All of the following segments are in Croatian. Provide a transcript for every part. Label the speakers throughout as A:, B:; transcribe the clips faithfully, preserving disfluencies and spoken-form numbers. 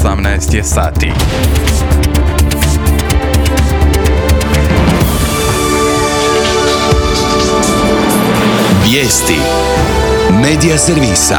A: osamnaest je sati.
B: Vijesti Medija servisa.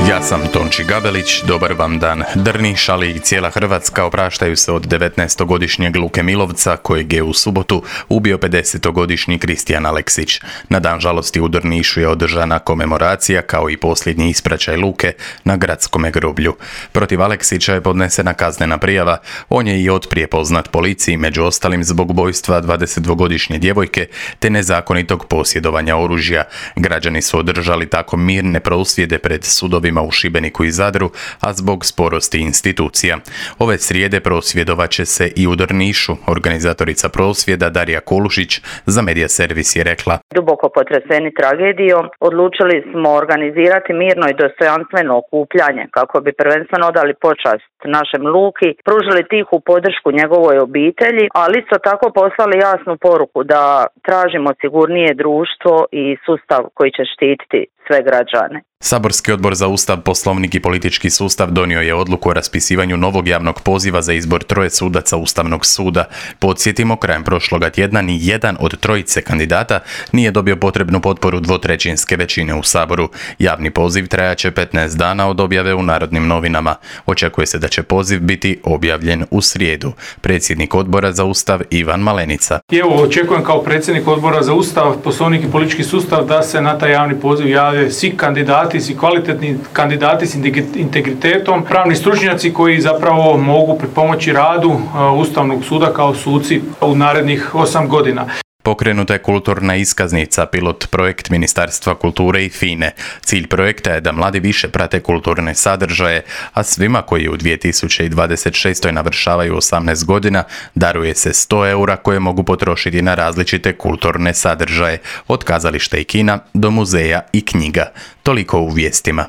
A: Ja sam Tonči Gabelić, dobar vam dan. Drniš, ali i cijela Hrvatska opraštaju se od devetnaestogodišnjeg Luke Milovca, kojeg je u subotu ubio pedesetogodišnji Kristijan Aleksić. Na dan žalosti u Drnišu je održana komemoracija, kao i posljednji ispraćaj Luke na gradskome groblju. Protiv Aleksića je podnesena kaznena prijava. On je i otprije poznat policiji, među ostalim zbog ubojstva dvadesetdvogodišnje djevojke te nezakonitog posjedovanja oružja. Građani su održali tako mirne prosvjede pred sudovima u Šibeniku i Zadru, a zbog sporosti institucija. Ove srijede prosvjedovat će se i u Drnišu. Organizatorica prosvjeda Darija Kolušić za Medija servis je rekla:
C: Duboko potreseni tragedijom, odlučili smo organizirati mirno i dostojanstveno okupljanje kako bi prvenstveno odali počast našem Luki, pružili tihu podršku njegovoj obitelji, ali isto tako poslali jasnu poruku da tražimo sigurnije društvo i sustav koji će štititi sve građane.
A: Saborski odbor za Ustav, Poslovnik i politički sustav donio je odluku o raspisivanju novog javnog poziva za izbor troje sudaca Ustavnog suda. Podsjetimo, krajem prošloga tjedna ni jedan od trojice kandidata nije dobio potrebnu potporu dvotrećinske većine u Saboru. Javni poziv trajaće petnaest dana od objave u Narodnim novinama. Očekuje se da će poziv biti objavljen u srijedu. Predsjednik odbora za Ustav Ivan Malenica.
D: I evo, očekujem kao predsjednik odbora za Ustav, Poslovnik i politički sustav da se na taj javni poziv jave svi kandidati, svi kvalitetni kandidati s integritetom, pravni stručnjaci koji zapravo mogu pripomoći radu Ustavnog suda kao suci u narednih osam godina.
A: Pokrenuta je kulturna iskaznica, pilot projekt Ministarstva kulture i FINE. Cilj projekta je da mladi više prate kulturne sadržaje, a svima koji u dvije tisuće dvadeset šestoj navršavaju osamnaest godina daruje se sto eura koje mogu potrošiti na različite kulturne sadržaje, od kazališta i kina do muzeja i knjiga. Toliko u vijestima.